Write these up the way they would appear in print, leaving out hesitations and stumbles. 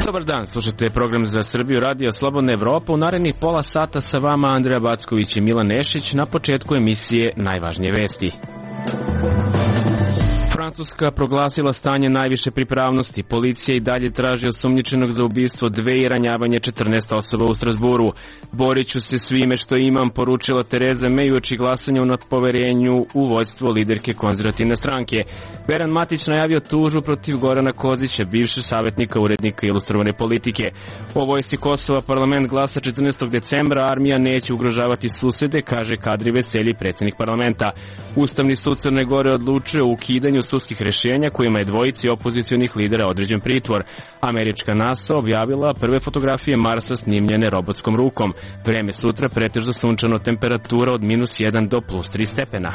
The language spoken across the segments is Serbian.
Dobar dan, slušate program za Srbiju, Radio Slobodna Evropa. U narednih pola sata sa vama Andreja Backović i Milan Nešić. Na početku emisije najvažnije vesti. Francuska proglasila stanje najviše pripravnosti. Policija i dalje traži osumnjičenog za ubistvo 2 i ranjavanje 14 osoba u Strasburu. Borit ću se svime što imam, poručila Tereza May uoči glasanja o nadpoverenju u vođstvo liderke konzervativne stranke. Veran Matić najavio tužbu protiv Gorana Kozića, bivšeg savjetnika urednika ilustrovane politike. O vojsci Kosova parlament glasa 14. decembra, armija neće ugrožavati susede, kaže Kadri Veselji, predsjednik parlamenta. Ustavni sud Crne Gore odlučio o ukidanju sudskih rješenja kojima je dvojici opozicionih lidera određen pritvor. Američka NASA objavila prve fotografije Marsa snimljene robotskom rukom. Vreme sutra pretežno sunčano, temperatura od -1 do +3 stepena.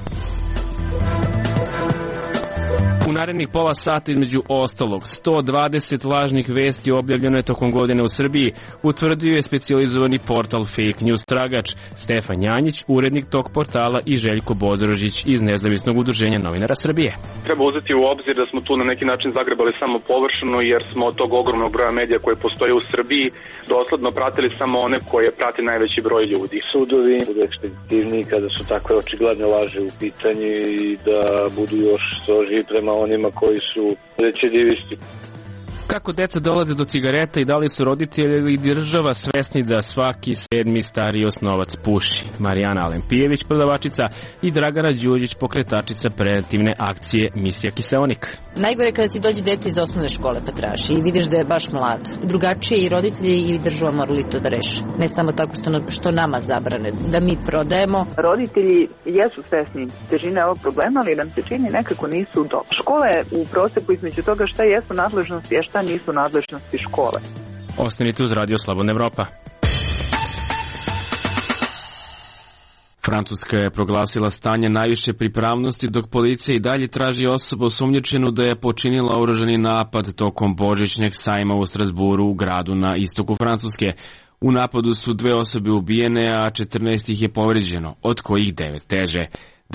U narednih pola sata između ostalog 120 lažnih vesti objavljeno je tokom godine u Srbiji, utvrdio je specijalizovani portal Fake News Tragač. Stefan Janjić, urednik tog portala, i Željko Bodrožić iz Nezavisnog udruženja novinara Srbije. Treba uzeti u obzir da smo tu na neki način zagrebali samo površno, jer smo od tog ogromnog broja medija koje postoje u Srbiji dosledno pratili samo one koje prati najveći broj ljudi. Sudovi budu ekspeditivniji kada su takve očigledne laži u pitanju i da budu još strožiji prema onima koji su recidivisti. Kako deca dolaze do cigareta i da li su roditelji ili država svesni da svaki 7. stariji osnovac puši? Marijana Alempijević, prodavačica, i Dragana Đuđić, pokretačica preventivne akcije Misija Kiseonik. Najgore kada ti dođe dete iz osnovne škole pa traži i vidiš da je baš mlad. Drugačije i roditelji i država morali to da reše. Ne samo tako što nama zabrane, da mi prodajemo. Roditelji jesu svesni težine ovog problema, ali nam se čini nekako nisu dobro. Škola je u procepu između toga šta jesu nadležnosti, a šta nisu nadležnosti škole. Ostanite uz Radio Slobodna Evropa. Francuska je proglasila stanje najviše pripravnosti, dok policija i dalje traži osobu osumnjičenu da je počinila oružani napad tokom božićnjeg sajma u Strasburu, u gradu na istoku Francuske. U napadu su 2 osobe ubijene, a 14 ih je povređeno, od kojih 9 teže.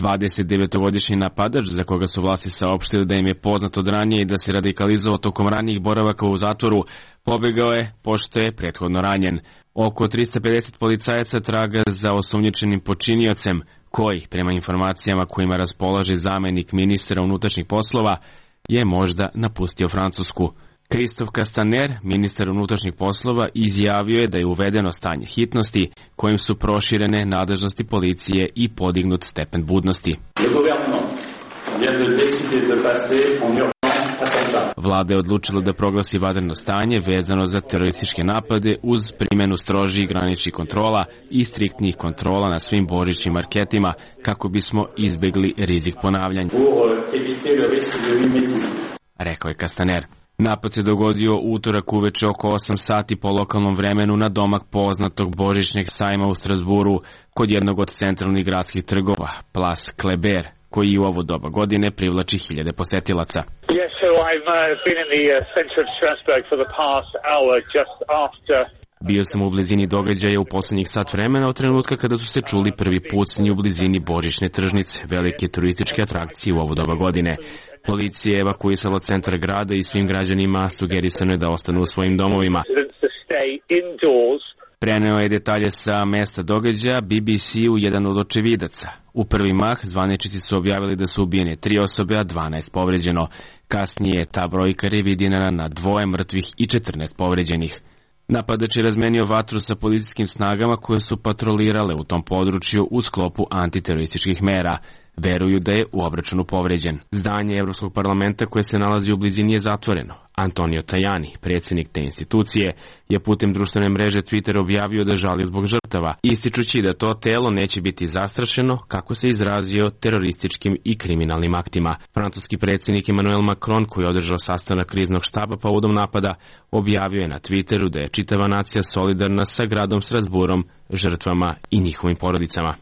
29-godišnji napadač, za koga su vlasti saopštili da im je poznato od ranije i da se radikalizovao tokom ranijih boravaka u zatvoru, pobegao je pošto je prethodno ranjen. Oko 350 policajaca traga za osumnjičenim počiniocem, koji, prema informacijama kojima raspolaže zamenik ministra unutrašnjih poslova, je možda napustio Francusku. Christophe Castaner, ministar unutrašnjih poslova, izjavio je da je uvedeno stanje hitnosti, kojim su proširene nadležnosti policije i podignut stepen budnosti. Vlada je odlučila da proglasi vanredno stanje vezano za terorističke napade uz primjenu strožijih graničnih kontrola i striktnih kontrola na svim božićnim marketima kako bismo izbjegli rizik ponavljanja, rekao je Castaner. Napad se dogodio utorak uveče oko 8 sati po lokalnom vremenu na domak poznatog božićnjeg sajma u Strasburu kod jednog od centralnih gradskih trgova, Place Kléber, koji u ovo doba godine privlači hiljade posetilaca. Yes, so I've been in the center of Strasbourg for the past hour just after. Bio sam u blizini događaja u posljednjih sat vremena od trenutka kada su se čuli prvi pucnji u blizini božićne tržnice, velike turističke atrakcije u ovo doba godine. Policija je evakuisala centar grada i svim građanima sugerisano je da ostanu u svojim domovima. Preneo je detalje sa mesta događaja BBC-u jedan od očevidaca. U prvi mah zvaničnici su objavili da su ubijene 3 osobe, a 12 povređeno. Kasnije je ta brojka revidirana na 2 mrtvih i 14 povređenih. Napadač je razmenio vatru sa policijskim snagama koje su patrolirale u tom području u sklopu antiterorističkih mera. Veruju da je u obračunu povređen. Zdanje Evropskog parlamenta koje se nalazi u blizini je zatvoreno. Antonio Tajani, predsjednik te institucije, je putem društvene mreže Twitter objavio da žali zbog žrtava, ističući da to telo neće biti zastrašeno, kako se izrazio, terorističkim i kriminalnim aktima. Francuski predsjednik Emmanuel Macron, koji je održao sastanak kriznog štaba povodom napada, objavio je na Twitteru da je čitava nacija solidarna sa gradom Strasburom, žrtvama i njihovim porodicama.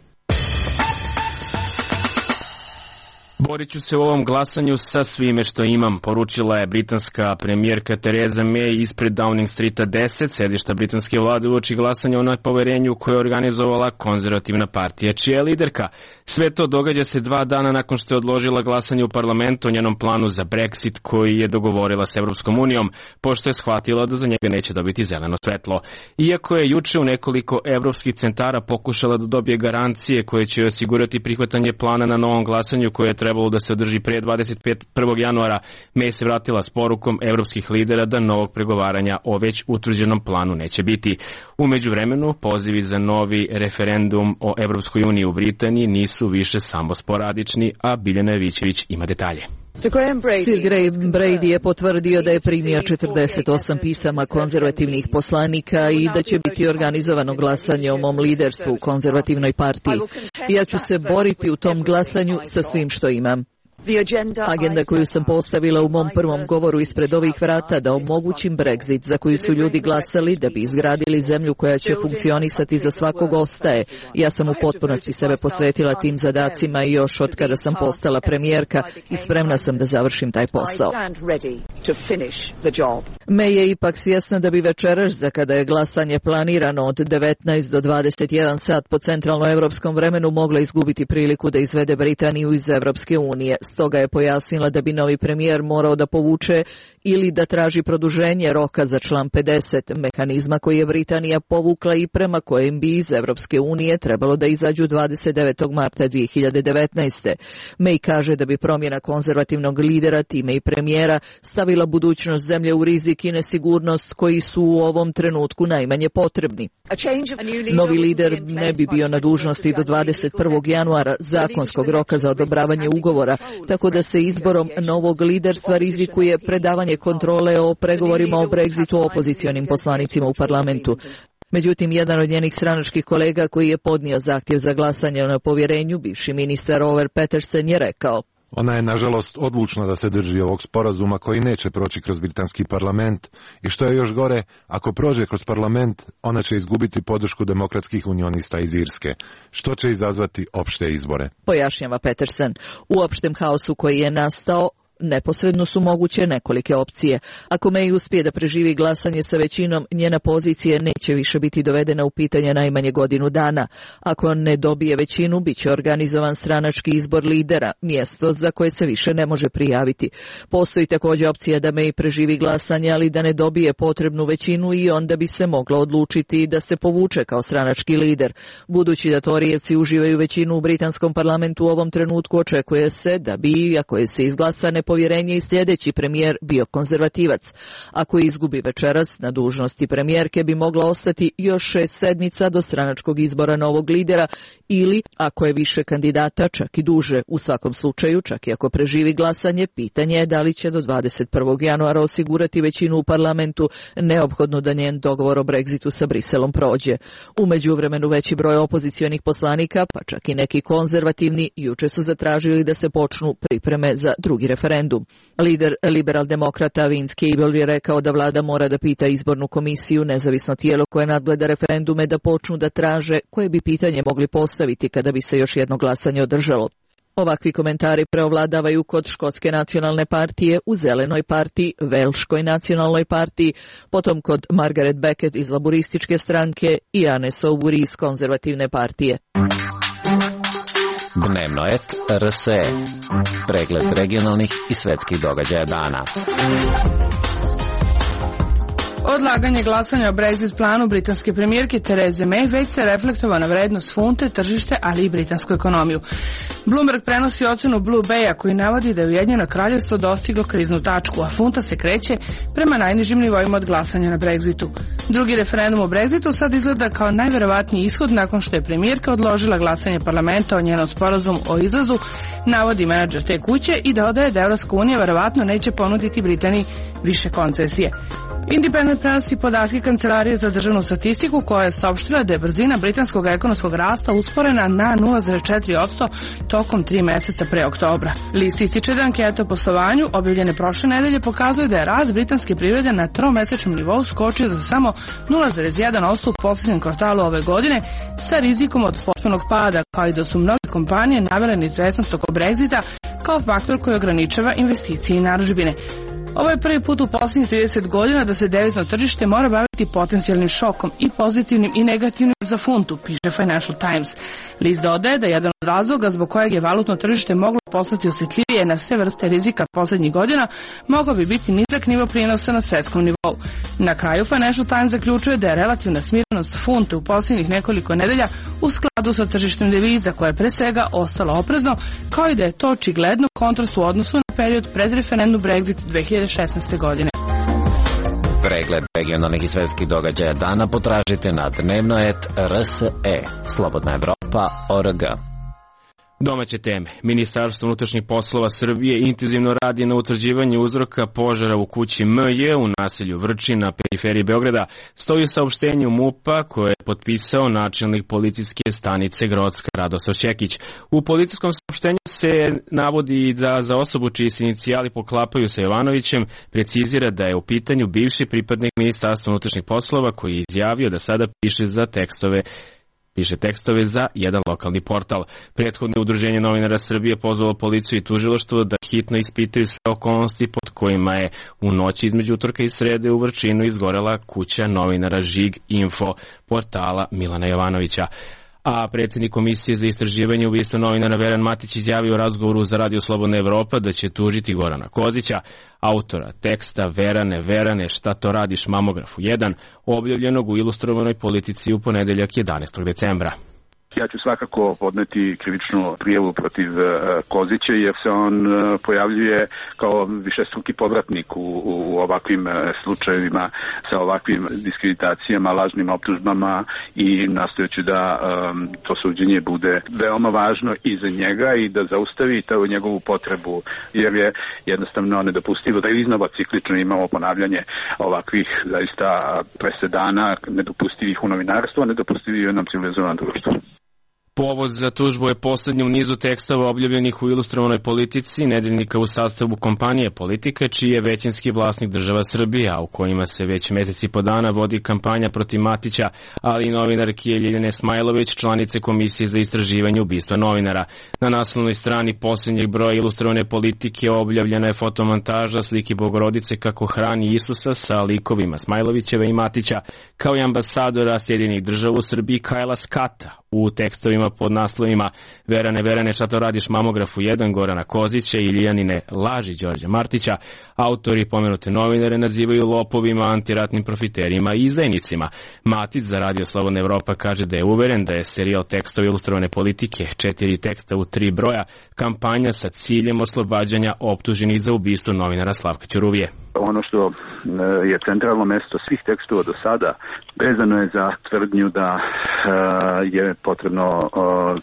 Borit ću se u ovom glasanju sa svime što imam, poručila je britanska premijerka Theresa May ispred Downing Streeta 10, sedišta britanske vlade, uoči glasanja o nepoverenju koje je organizovala konzervativna partija, čija je liderka. Sve to događa se 2 dana nakon što je odložila glasanje u parlamentu o njenom planu za Brexit koji je dogovorila s Evropskom unijom, pošto je shvatila da za njega neće dobiti zeleno svetlo. Iako je juče u nekoliko evropskih centara pokušala da dobije garancije koje će osigurati prihvatanje plana na novom glasanju koje je trebalo da se održi pre 21. januara, May se vratila s porukom evropskih lidera da novog pregovaranja o već utvrđenom planu neće biti. U međuvremenu, pozivi za novi referendum o Evropskoj uniji u Britaniji nisu više samo sporadični, a Biljana Jevićević ima detalje. Sir Graham Brady je potvrdio da je primio 48 pisama konzervativnih poslanika i da će biti organizovano glasanje o mom liderstvu u konzervativnoj partiji. Ja ću se boriti u tom glasanju sa svim što imam. Agenda koju sam postavila u mom prvom govoru ispred ovih vrata da omogućim Brexit za koju su ljudi glasali da bi izgradili zemlju koja će funkcionisati za svakog ostaje. Ja sam u potpunosti sebe posvetila tim zadacima i još od kada sam postala premijerka i spremna sam da završim taj posao. May je ipak svjesna da bi večeras, za kada je glasanje planirano od 19 do 21 sat po centralnoevropskom vremenu, mogla izgubiti priliku da izvede Britaniju iz Evropske unije. Stoga je pojasnila da bi novi premijer morao da povuče ili da traži produženje roka za član 50, mehanizma koji je Britanija povukla i prema kojem bi iz Evropske unije trebalo da izađu 29. marta 2019. May kaže da bi promjena konzervativnog lidera, time i premijera, stavila budućnost zemlje u rizik i nesigurnost koji su u ovom trenutku najmanje potrebni. Novi lider ne bi bio na dužnosti do 21. januara, zakonskog roka za odobravanje ugovora, tako da se izborom novog liderstva rizikuje predavanje kontrole o pregovorima o Brexitu opozicionim poslanicima u parlamentu. Međutim, jedan od njenih stranačkih kolega koji je podnio zahtjev za glasanje o nepovjerenju, bivši ministar Oliver Petersen, je rekao: Ona je, nažalost, odlučna da se drži ovog sporazuma koji neće proći kroz britanski parlament i što je još gore, ako prođe kroz parlament, ona će izgubiti podršku demokratskih unionista iz Irske, što će izazvati opšte izbore. Pojašnjava Petersen. U opštem haosu koji je nastao, neposredno su moguće nekolike opcije. Ako May uspije da preživi glasanje sa većinom, njena pozicija neće više biti dovedena u pitanje najmanje godinu dana. Ako ne dobije većinu, bit će organizovan stranački izbor lidera, mjesto za koje se više ne može prijaviti. Postoji također opcija da May preživi glasanje, ali da ne dobije potrebnu većinu i onda bi se moglo odlučiti da se povuče kao stranački lider. Budući da Torijevci uživaju većinu u britanskom parlamentu u ovom trenutku, očekuje se da bi, ako je se izglasa nepovjerenje, i sljedeći premijer bio konzervativac. Ako izgubi večeras, na dužnosti premijerke bi mogla ostati još 6 sedmica do stranačkog izbora novog lidera ili, ako je više kandidata, čak i duže. U svakom slučaju, čak i ako preživi glasanje, pitanje je da li će do 21. januara osigurati većinu u parlamentu, neophodno da njen dogovor o Brexitu sa Briselom prođe. U međuvremenu veći broj opozicionih poslanika, pa čak i neki konzervativni, juče su zatražili da se počnu pripreme za drugi referendum. Lider liberal-demokrata Vince Cable je rekao da vlada mora da pita izbornu komisiju, nezavisno tijelo koje nadgleda referendume, da počnu da traže koje bi pitanje mogli postaviti kada bi se još jedno glasanje održalo. Ovakvi komentari preovladavaju kod Škotske nacionalne partije, u Zelenoj partiji, Velškoj nacionalnoj partiji, potom kod Margaret Beckett iz laburističke stranke i Anne Soubry iz konzervativne partije. Dnevno et RSE. Pregled regionalnih i svetskih događaja dana. Odlaganje glasanja o Brexit planu britanske premijerke Therese May već se reflektova na vrednost funte, tržište, ali i britansku ekonomiju. Bloomberg prenosi ocenu Blue Baya koji navodi da je Ujedinjeno Kraljevstvo dostiglo kriznu tačku, a funta se kreće prema najnižim nivoima od glasanja na Brexitu. Drugi referendum o Brexitu sad izgleda kao najverovatniji ishod nakon što je premijerka odložila glasanje parlamenta o njenom sporazumu o izlazu, navodi menadžer te kuće i dodaje da Evropska unija verovatno neće ponuditi Britaniji više koncesije. Independent prenosi podatke Kancelarije za državnu statistiku koja je saopštila da je brzina britanskog ekonomskog rasta usporena na 0,4% tokom 3 mjeseca pre oktobra. List ističe da anketa o poslovanju objavljene prošle nedelje pokazuje da je rast britanske privrede na tromesečnom nivou skočio za samo 0,1% u posljednjem kvartalu ove godine sa rizikom od potpunog pada, kao i da su mnoge kompanije navele neizvesnost oko Brexita kao faktor koji ograničava investicije i narudžbine. Ovo je prvi put u posljednjih 30 godina da se devizno tržište mora baviti potencijalnim šokom i pozitivnim i negativnim za funtu, piše Financial Times. List dodaje da jedan od razloga zbog kojeg je valutno tržište moglo postati osjetljivije na sve vrste rizika poslednjih godina mogao bi biti nizak nivo prinosa na svetskom nivou. Na kraju Financial Times zaključuje da je relativna smirenost funte u posljednjih nekoliko nedelja u skladu sa tržištem deviza koje je pre svega ostalo oprezno, kao i da je to očigledno kontrast u odnosu na period pred referendum Brexit 2016. godine. Pregled regionalnih i svetskih događaja dana potražite na dnevno.rs.e. Slobodna Evropa.org. Domaće teme. Ministarstvo unutrašnjih poslova Srbije intenzivno radi na utvrđivanju uzroka požara u kući MJ u naselju Vrčin na periferiji Beograda. Stoji saopštenje MUP-a koje je potpisao načelnik policijske stanice Grocka Radosav Ćekić. U policijskom saopštenju se navodi da za osobu čiji se inicijali poklapaju sa Jovanovićem precizira da je u pitanju bivši pripadnik Ministarstva unutrašnjih poslova koji je izjavio da sada piše tekstove za jedan lokalni portal. Prethodno udruženje novinara Srbije pozvalo policiju i tužilaštvo da hitno ispitaju sve okolnosti pod kojima je u noći između utorka i srede u Vrčinu izgorela kuća novinara Žig Info portala Milana Jovanovića. A predsjednik Komisije za istraživanje ubistva novinara Veran Matić izjavio u razgovoru za Radio Slobodna Evropa da će tužiti Gorana Kozića, autora teksta Verane, šta to radiš mamografu 1, objavljenog u Ilustrovanoj politici u ponedeljak 11. decembra. Ja ću svakako podneti krivičnu prijavu protiv Kozića jer se on pojavljuje kao višestruki povratnik u ovakvim slučajevima sa ovakvim diskreditacijama, lažnim optužbama i nastojeću da to suđenje bude veoma važno i za njega i da zaustavi to njegovu potrebu jer je jednostavno nedopustivo da iznova ciklično imamo ponavljanje ovakvih zaista presedana nedopustivih u novinarstvu, a nedopustivih u jednom civilizovanom društvu. Povod za tužbu je poslednji u nizu tekstova objavljenih u Ilustrovanoj politici, nedeljnika u sastavu kompanije Politika, čiji je većinski vlasnik država Srbija, u kojima se već meseci po dana vodi kampanja protiv Matića, ali i novinarke Ljiljane Smajlović, članice Komisije za istraživanje ubistva novinara. Na naslovnoj strani posljednjeg broja Ilustrovane politike objavljena je fotomontaža slike Bogorodice kako hrani Isusa sa likovima Smajlovićeve i Matića, kao i ambasadora Sjedinjenih država u Srbiji Kajla Skata. U tekstovima pod naslovima Verane, šta to radiš mamografu 1 Gorana Kozića i Ljijanine laži Đorđa Martića, autori pomenute novinare nazivaju lopovima, antiratnim profiterima i izdajnicima. Matić za Radio Slobodna Evropa kaže da je uveren da je serijal tekstova Ilustrovane politike, 4 teksta u 3 broja, kampanja sa ciljem oslobađanja optuženih za ubistvo novinara Slavka Ćuruvije. Ono što je centralno mesto svih tekstova do sada vezano je za tvrdnju da je potrebno,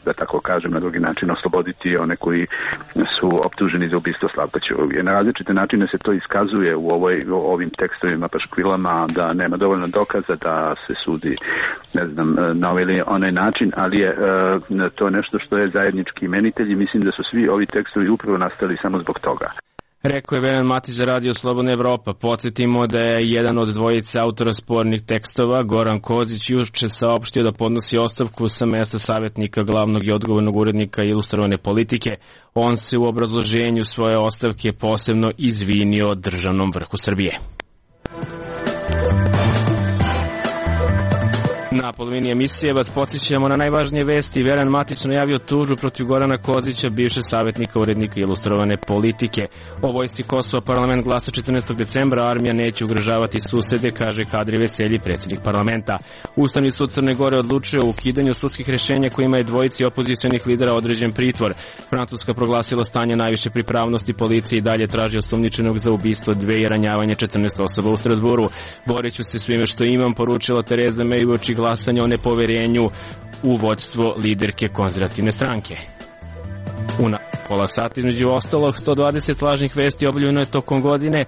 da tako kažem, na drugi način osloboditi one koji su optuženi za ubistvo Slavka Ćuruvije. Na različite načine se to iskazuje u ovim tekstovima, paškvilama, da nema dovoljno dokaza da se sudi, na ovaj ili onaj način, ali je to nešto što je zajednički imenitelj i mislim da su svi ovi tekstovi upravo nastali samo zbog toga. Rekao je Veran Matić za Radio Slobodna Evropa. Podsjetimo da je jedan od dvojice autora spornih tekstova, Goran Kozić, juče saopštio da podnosi ostavku sa mesta savjetnika glavnog i odgovornog urednika Ilustrovane politike. On se u obrazloženju svoje ostavke posebno izvinio državnom vrhu Srbije. Na polovini emisije vas podsjećamo na najvažnije vesti. Veran Matić najavio tužbu protiv Gorana Kozića, bivšeg savjetnika urednika Ilustrovane politike. O vojsci Kosova parlament glasa 14. decembra, armija neće ugrožavati susede, kaže Kadri Veselji, predsjednik parlamenta. Ustavni sud Crne Gore odlučio o ukidanju sudskih rješenja kojima je dvojici opozicionih lidera određen pritvor. Francuska proglasila stanje najviše pripravnosti, policije i dalje traži osumnjičenog za ubistvo 2 i ranjavanje 14 osoba u Strasburu. Boriću se svime što imam, poručila Tereza May uoči glasanja o nepoverenju u vođstvo liderke konzervativne stranke. Pola sata između ostalog 120 lažnih vesti objavljeno je tokom godine.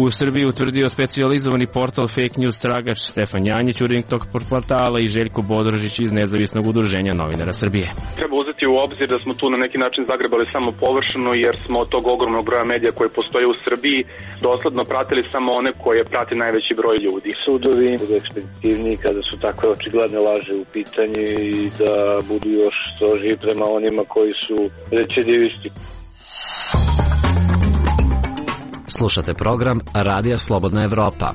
U Srbiji utvrdio specijalizovani portal Fake News tragač Stefan Janjić, urednik tog portala, i Željko Bodrožić iz Nezavisnog udruženja novinara Srbije. Treba uzeti u obzir da smo tu na neki način zagrebali samo površno, jer smo od tog ogromnog broja medija koji postoje u Srbiji dosledno pratili samo one koje prati najveći broj ljudi. Sudovi budu ekspeditivniji kada su takve očigledne laži u pitanju i da budu još strožiji prema onima koji su recidivisti. Slušate program Radija Slobodna Evropa.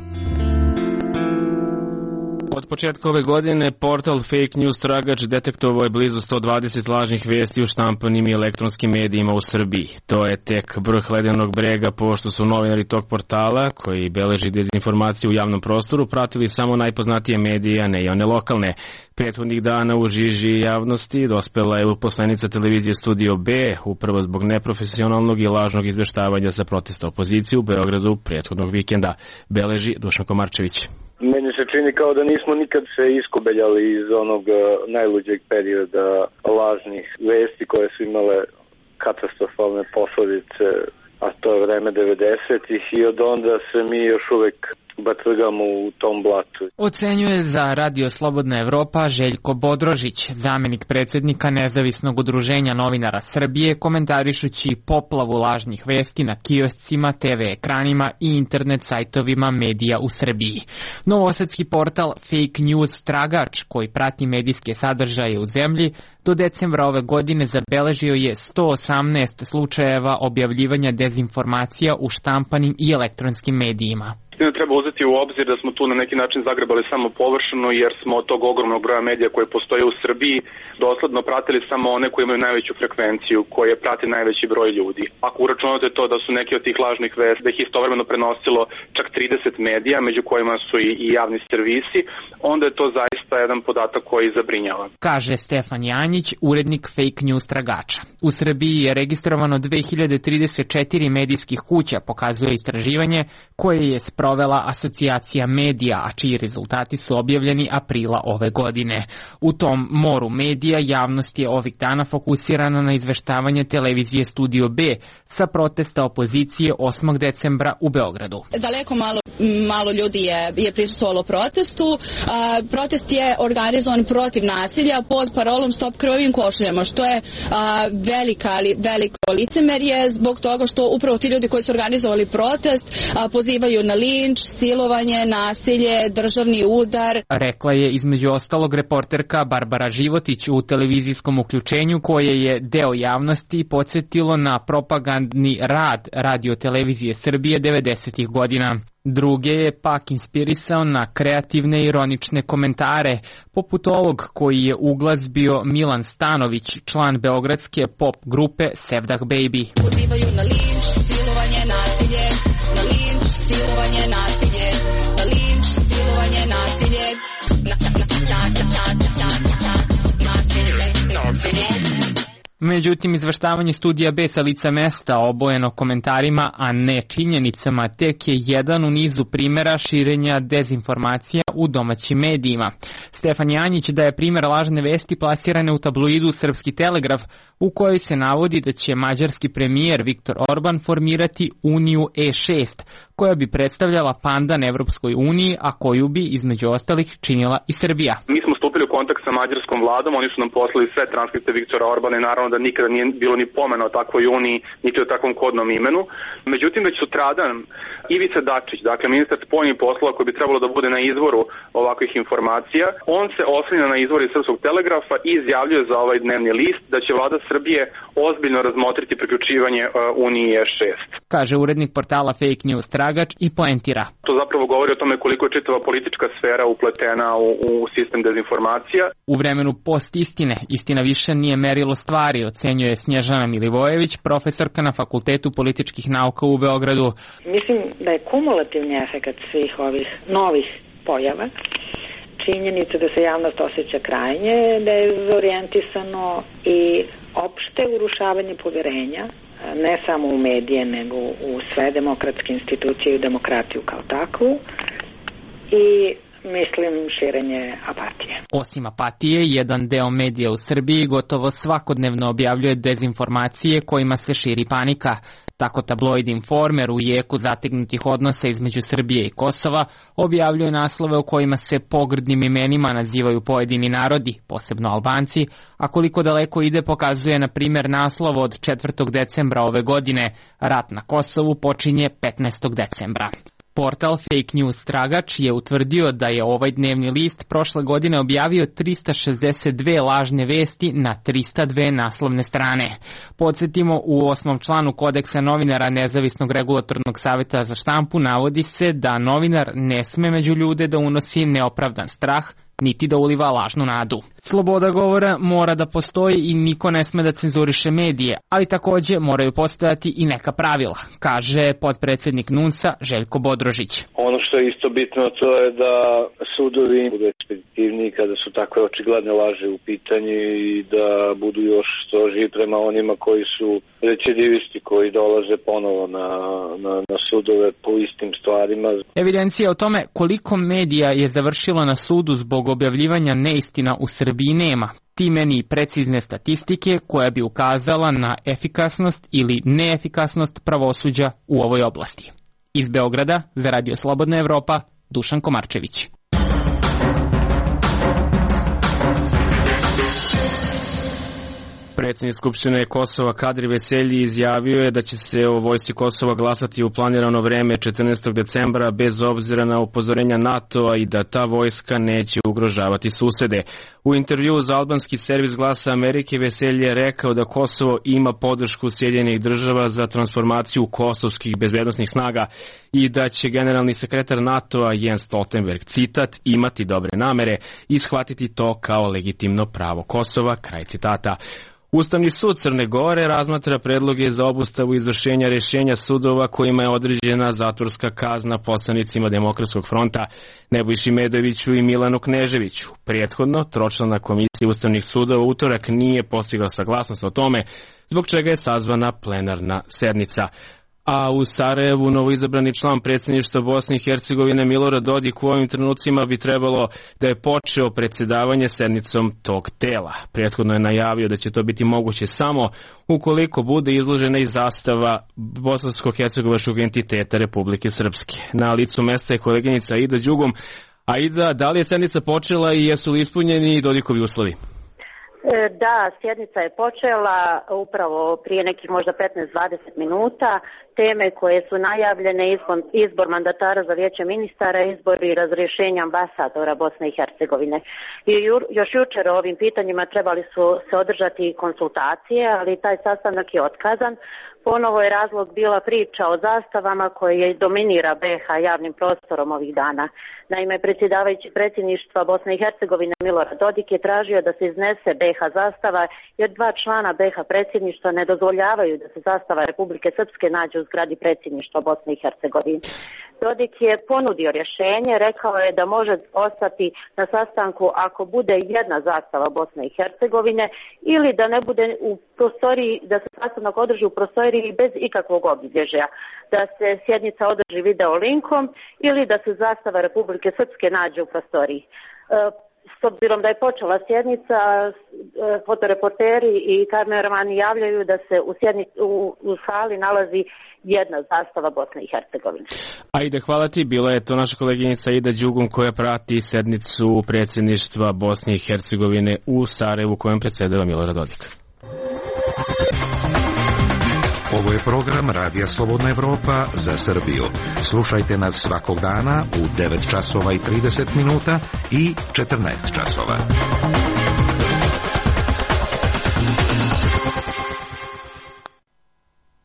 Od početka ove godine portal Fake News Tragač detektovao je blizu 120 lažnih vesti u štampanim i elektronskim medijima u Srbiji. To je tek vrh ledenog brega, pošto su novinari tog portala, koji beleži dezinformaciju u javnom prostoru, pratili samo najpoznatije medije, a ne i one lokalne. Prethodnih dana u žiži javnosti dospela je uposlenica televizije Studio B, upravo zbog neprofesionalnog i lažnog izveštavanja sa protesta opozicije u Beogradu prethodnog vikenda, beleži Dušan Komarčević. Meni se čini kao da nismo nikad se iskobeljali iz onog najluđeg perioda lažnih vesti koje su imale katastrofalne posledice, a to je vreme 90-ih i od onda se mi još uvek batrgamo u tom blatu. Ocenjuje za Radio Slobodna Evropa Željko Bodrožić, zamenik predsjednika Nezavisnog udruženja novinara Srbije, komentarišući poplavu lažnih vesti na kioscima, TV ekranima i internet sajtovima medija u Srbiji. Novosadski portal Fake News Tragač, koji prati medijske sadržaje u zemlji, do decembra ove godine zabeležio je 118 slučajeva objavljivanja dezinformacija u štampanim i elektronskim medijima. Treba uzeti u obzir da smo tu na neki način zagrebali samo površno, jer smo od tog ogromnog broja medija koje postoje u Srbiji dosledno pratili samo one koji imaju najveću frekvenciju, koje prati najveći broj ljudi. Ako uračunate to da su neki od tih lažnih vesti, da ih istovremeno prenosilo čak 30 medija, među kojima su i javni servisi, onda je to zaista jedan podatak koji zabrinjava. Kaže Stefan Janjić, urednik Fake News Tragača. U Srbiji je registrovano 2034 medijskih kuća, pokazuje istraživanje koje je sprovela Asocijacija medija, a čiji rezultati su objavljeni aprila ove godine. U tom moru medija javnost je ovih dana fokusirana na izveštavanje televizije Studio B sa protesta opozicije 8. decembra u Beogradu. Daleko malo ljudi je prisustvovalo protestu. Protest je organizovan protiv nasilja pod parolom Stop krvavim košuljama, što je veliko licemerje zbog toga što upravo ti ljudi koji su organizovali protest pozivaju na linč, silovanje, nasilje, državni udar. Rekla je između ostalog reporterka Barbara Životić u televizijskom uključenju koje je deo javnosti podsjetilo na propagandni rad Radio-televizije Srbije 90. godina. Druge je pak inspirisao na kreativne i ironične komentare, poput ovog koji je uglazbio Milan Stanović, član beogradske pop grupe Sevdah Baby. Pozivaju na linč, silovanje, nasilje, na linč, silovanje, nasilje, na linč, silovanje, nasilje, nasilje. Međutim, izveštavanje Studija B sa lica mesta obojeno komentarima, a ne činjenicama, tek je jedan u nizu primjera širenja dezinformacija u domaćim medijima. Stefan Janjić daje primjer lažne vesti plasirane u tabloidu Srpski telegraf, u kojoj se navodi da će mađarski premijer Viktor Orban formirati Uniju E6, koja bi predstavljala pandan Evropskoj uniji, a koju bi, između ostalih, činila i Srbija. Mi smo stupili u kontakt sa mađarskom vladom, oni su nam poslali sve transkripte Viktora Orbana i naravno da nikada nije bilo ni pomena o takvoj uniji, niti o takvom kodnom imenu. Međutim, već sutradan Ivica Dačić, dakle ministar spoljnih poslova koji bi trebalo da bude na izvoru ovakvih informacija, on se oslanja na izvor iz Srpskog telegrafa i izjavljuje za ovaj dnevni list da će vlada Srbije ozbiljno razmotriti priključivanje Uniji E6. Kaže urednik portala Fake News Tragač i poentira. To zapravo govori o tome koliko je čitava politička sfera upletena u sistem dezinformacija. U vremenu post-istine, istina više nije merilo stvari, ocenjuje Snježana Milivojević, profesorka na Fakultetu političkih nauka u Beogradu. Mislim da je kumulativni efekat svih ovih novih pojava, činjenica da se javnost osjeća krajnje dezorijentisano i opšte urušavanje poverenja, ne samo u medije, nego u sve demokratske institucije i demokratiju kao takvu, i mislim širenje apatije. Osim apatije, jedan deo medija u Srbiji gotovo svakodnevno objavljuje dezinformacije kojima se širi panika. Tako tabloid Informer u jeku zategnutih odnosa između Srbije i Kosova objavljuje naslove u kojima se pogrdnim imenima nazivaju pojedini narodi, posebno Albanci, a koliko daleko ide pokazuje na primjer naslov od 4. decembra ove godine: Rat na Kosovu počinje 15. decembra. Portal Fake News Tragač je utvrdio da je ovaj dnevni list prošle godine objavio 362 lažne vesti na 302 naslovne strane. Podsjetimo, u 8. članu Kodeksa novinara Nezavisnog regulatornog saveta za štampu navodi se da novinar ne sme među ljude da unosi neopravdan strah, niti da uliva lažnu nadu. Sloboda govora mora da postoji i niko ne sme da cenzuriše medije, ali takođe moraju postojati i neka pravila, kaže potpredsednik NUNS-a Željko Bodrožić. Ono što je isto bitno to je da sudovi budu ekspeditivniji kada su takve očigledne laži u pitanju i da budu još strožiji prema onima koji su recidivisti, koji dolaze ponovo na sudove po istim stvarima. Evidencija o tome koliko medija je završilo na sudu zbog objavljivanja neistina u Srbiji nema. Time ni precizne statistike koja bi ukazala na efikasnost ili neefikasnost pravosuđa u ovoj oblasti. Iz Beograda za Radio Slobodna Evropa, Dušan Komarčević. Predsjednik Skupštine Kosova Kadri Veselji izjavio je da će se o vojsci Kosova glasati u planirano vreme 14. decembra bez obzira na upozorenja NATO-a i da ta vojska neće ugrožavati susede. U intervjuu za albanski servis Glasa Amerike Veselji je rekao da Kosovo ima podršku Sjedinjenih država za transformaciju kosovskih bezbednosnih snaga i da će generalni sekretar NATO-a Jens Stoltenberg, citat, imati dobre namere i shvatiti to kao legitimno pravo Kosova, kraj citata. Ustavni sud Crne Gore razmatra predloge za obustavu izvršenja rješenja sudova kojima je određena zatvorska kazna poslanicima Demokratskog fronta Nebojši Medoviću i Milanu Kneževiću. Prethodno, tročlana komisija ustavnih sudova utorak nije postigla saglasnost o tome, zbog čega je sazvana plenarna sednica. A u Sarajevu novoizabrani član predsjedništva Bosne i Hercegovine Milorad Dodik u ovim trenucima bi trebalo da je počeo predsjedavanje sednicom tog tela. Prethodno je najavio da će to biti moguće samo ukoliko bude izložena i zastava bosansko-hercegovačkog entiteta Republike Srpske. Na licu mesta je koleginica Aida Đugum. Aida, da li je sednica počela i jesu li ispunjeni Dodikovi uslovi? Da, sjednica je počela upravo prije nekih možda 15-20 minuta. Teme koje su najavljene, izbor mandatara za vijeće ministara, izbor i razrješenje ambasadora Bosne i Hercegovine. I još jučer o ovim pitanjima trebali su se održati konsultacije, ali taj sastanak je otkazan. Ponovo je razlog bila priča o zastavama koje dominira BiH javnim prostorom ovih dana. Naime, predsjedavajući predsjedništva Bosne i Hercegovine Milorad Dodik je tražio da se iznese BiH zastava jer dva člana BiH predsjedništva ne dozvoljavaju da se zastava Republike Srpske nađe u zgradi predsjedništva Bosne i Hercegovine. Dodik je ponudio rješenje, rekao je da može ostati na sastanku ako bude jedna zastava Bosne i Hercegovine ili da ne bude u prostoriji, da se sastanak održi u prostoriji bez ikakvog obilježja, da se sjednica održi video linkom ili da se zastava Republike Srpske nađe u prostoriji. S obzirom da je počela sjednica, fotoreporteri i kameramani javljaju da se u sali nalazi jedna zastava Bosne i Hercegovine. Ajde, hvala ti. Bila je to naša koleginica Aida Đugum koja prati sednicu predsjedništva Bosne i Hercegovine u Sarajevu kojem predsjedava Milorad Dodik. Ovo je program Radija Slobodna Evropa za Srbiju. Slušajte nas svakog dana u 9 časova i 30 minuta i 14 časova.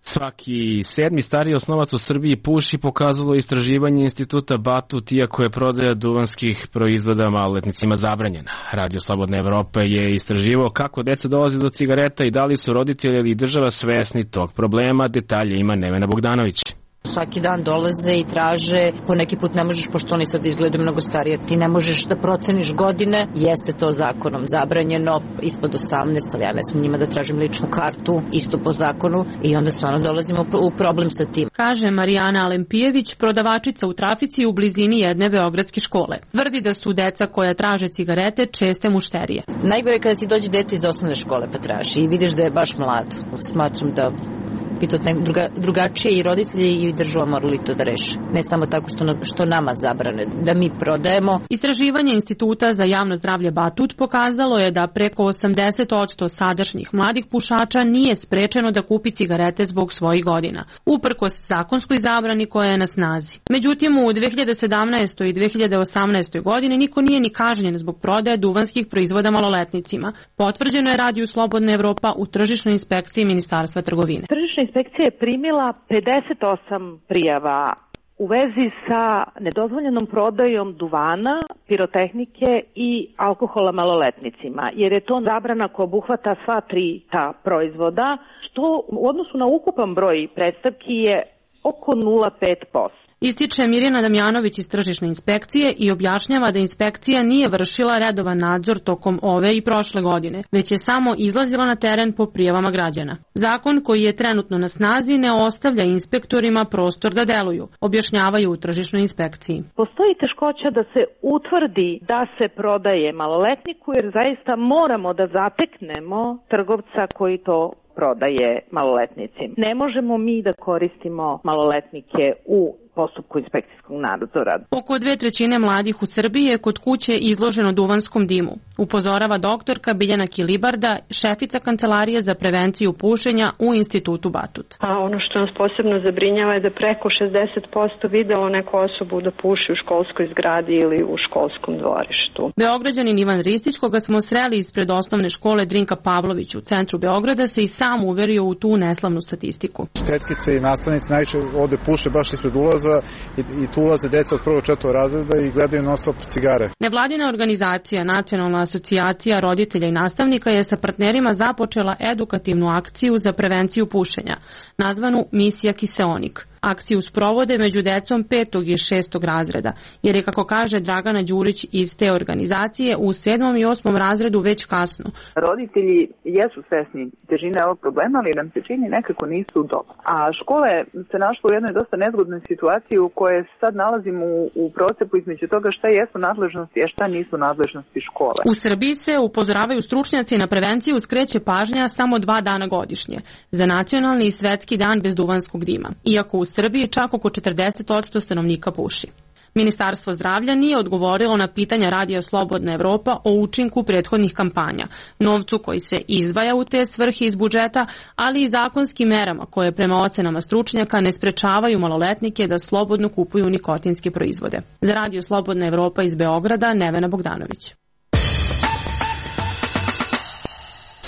Svaki sedmi stariji osnovac u Srbiji puši, pokazalo istraživanje instituta Batut, iako je prodaja duvanskih proizvoda maloletnicima zabranjena. Radio Slobodna Evropa je istraživao kako deca dolazi do cigareta i da li su roditelji ili država svesni tog problema. Detalje ima Nevena Bogdanović. Svaki dan dolaze i traže, po neki put ne možeš, pošto oni sad izgledaju mnogo starije, ti ne možeš da proceniš godine, jeste to zakonom zabranjeno, ispod 18, ali ja ne smijem njima da tražim ličnu kartu, isto po zakonu, i onda stvarno dolazimo u problem sa tim. Kaže Marijana Alempijević, prodavačica u trafici u blizini jedne beogradske škole. Tvrdi da su deca koja traže cigarete česte mušterije. Najgore kada ti dođe dete iz osnovne škole pa traži i vidiš da je baš mlad. Smatram da bi to drugačije i roditelji i država morali to da reše. Ne samo tako što nama zabrane, da mi prodajemo. Istraživanje Instituta za javno zdravlje Batut pokazalo je da preko 80% sadašnjih mladih pušača nije sprečeno da kupi cigarete zbog svojih godina, uprkos zakonskoj zabrani koja je na snazi. Međutim, u 2017. i 2018. godini niko nije ni kažnjen zbog prodaje duvanskih proizvoda maloletnicima. Potvrđeno je Radiju Slobodna Evropa u tržišnoj inspekciji Ministarstva trgovine. Tržišna inspekcija je primila 58 prijava u vezi sa nedozvoljenom prodajom duvana, pirotehnike i alkohola maloletnicima, jer je to zabrana koja obuhvata sva tri ta proizvoda, što u odnosu na ukupan broj predstavki je oko 0,5%. Ističe Mirjana Damjanović iz tržišne inspekcije i objašnjava da inspekcija nije vršila redovan nadzor tokom ove i prošle godine, već je samo izlazila na teren po prijavama građana. Zakon koji je trenutno na snazi ne ostavlja inspektorima prostor da deluju, objašnjavaju u tržišnoj inspekciji. Postoji teškoća da se utvrdi da se prodaje maloletniku, jer zaista moramo da zateknemo trgovca koji to prodaje maloletnicima. Ne možemo mi da koristimo maloletnike u postupku inspekcijskog nadzora. Oko 2/3 mladih u Srbiji je kod kuće izloženo duvanskom dimu, upozorava doktorka Biljana Kilibarda, šefica Kancelarije za prevenciju pušenja u Institutu Batut. A ono što nas posebno zabrinjava je da preko 60% videlo neku osobu da puši u školskoj zgradi ili u školskom dvorištu. Beograđanin Ivan Ristić, koga smo sreli ispred osnovne škole Drinka Pavlović u centru Beograda, se i sam uverio u tu neslavnu statistiku. Tetkice i nastavnici najviše ovde puše baš ispred ulaza i tu ulaze deca od 1. 4. razreda i gledaju non-stop cigare. Nevladina organizacija Nacionalna asocijacija roditelja i nastavnika je sa partnerima započela edukativnu akciju za prevenciju pušenja, nazvanu Misija Kiseonik. Akciju sprovode među decom 5. i 6. razreda, jer je, kako kaže Dragana Đurić iz te organizacije, u 7. i 8. razredu već kasno. Roditelji jesu svesni težine ovog problema, ali nam se čini nekako nisu dobro. A škole se našla u jednoj dosta nezgodnoj situaciji u kojoj se sad nalazimo u procepu između toga šta jesu nadležnosti, a šta nisu nadležnosti škole. U Srbiji se, upozoravaju stručnjaci, na prevenciju skreće pažnja samo 2 dana godišnje, za nacionalni i svetski dan bez duvanskog dima, iako u Srbiji čak oko 40% stanovnika puši. Ministarstvo zdravlja nije odgovorilo na pitanja Radija Slobodna Evropa o učinku prethodnih kampanja, novcu koji se izdvaja u te svrhe iz budžeta, ali i zakonskim merama koje prema ocenama stručnjaka ne sprečavaju maloletnike da slobodno kupuju nikotinske proizvode. Za Radio Slobodna Evropa iz Beograda, Nevena Bogdanović.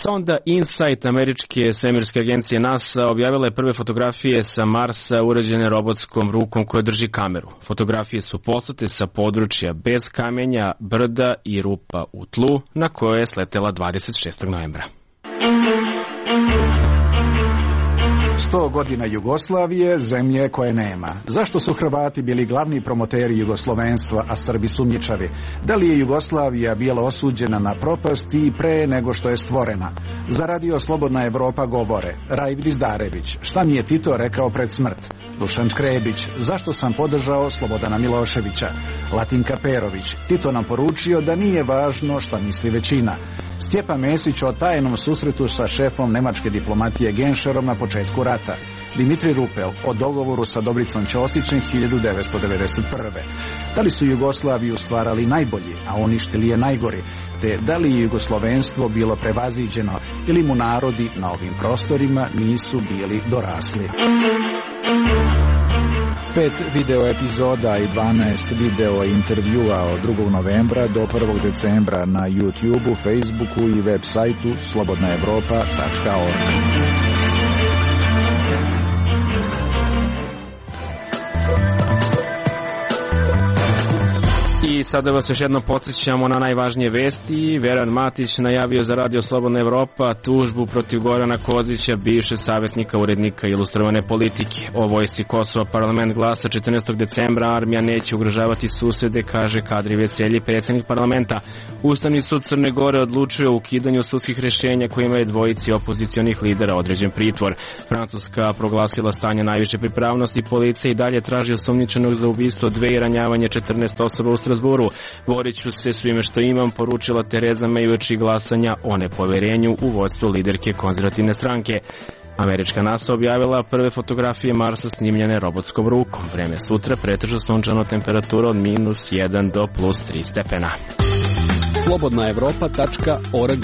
Sonda InSight američke svemirske agencije NASA objavila je prve fotografije sa Marsa urađene robotskom rukom koja drži kameru. Fotografije su poslate sa područja bez kamenja, brda i rupa u tlu, na koje je sletela 26. novembra. 100 godina Jugoslavije, zemlje koje nema. Zašto su Hrvati bili glavni promoteri jugoslovenstva, a Srbi sumnjičavi? Da li je Jugoslavija bila osuđena na propast i pre nego što je stvorena? Za Radio Slobodna Evropa govore Rajv Dizdarević, šta mi je Tito rekao pred smrt? Dušan Škrebić, zašto sam podržao Slobodana Miloševića? Latinka Perović, Tito nam poručio da nije važno šta misli većina. Stjepan Mesić o tajnom susretu sa šefom nemačke diplomatije Genšerom na početku rata. Dimitri Rupel o dogovoru sa Dobricom Ćosićem 1991. Da li su Jugoslaviju stvarali najbolji, a uništili je najgori? Te da li je jugoslovenstvo bilo prevaziđeno ili mu narodi na ovim prostorima nisu bili dorasli? 5 video epizoda i 12 video intervjua od 2. novembra do 1. decembra na YouTubeu, Facebooku i web sajtu slobodnaevropa.org. I sada vas još jednom podsjećamo na najvažnije vesti. Veran Matić najavio za Radio Slobodna Evropa tužbu protiv Gorana Kozića, bivše savjetnika urednika Ilustrovane politike. O vojsci Kosova parlament glasa 14. decembra, armija neće ugrožavati susede, kaže Kadri Veselji, predsjednik parlamenta. Ustavni sud Crne Gore odlučuje o ukidanju sudskih rješenja kojima je dvojici opozicionih lidera određen pritvor. Francuska proglasila stanje najviše pripravnosti, policija i dalje traži osumnjičenog za ubistvo 2 i ranjavanje 14 osoba u Strasburu. Borit ću se svime što imam, poručila Tereza May uoči glasanja o nepoverenju u vodstvu liderke konzervativne stranke. Američka NASA objavila prve fotografije Marsa snimljene robotskom rukom. Vreme sutra pretežno sunčano, temperatura od -1 do +3 stepena. slobodnaevropa.org.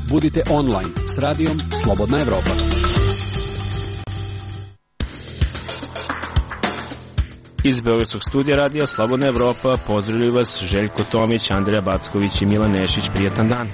Budite online s radijom Slobodna Evropa. Iz Beogradskog studija radija Slobodna Evropa pozdravljaju vas Željko Tomić, Andreja Backović i Milan Nešić. Prijatan dan.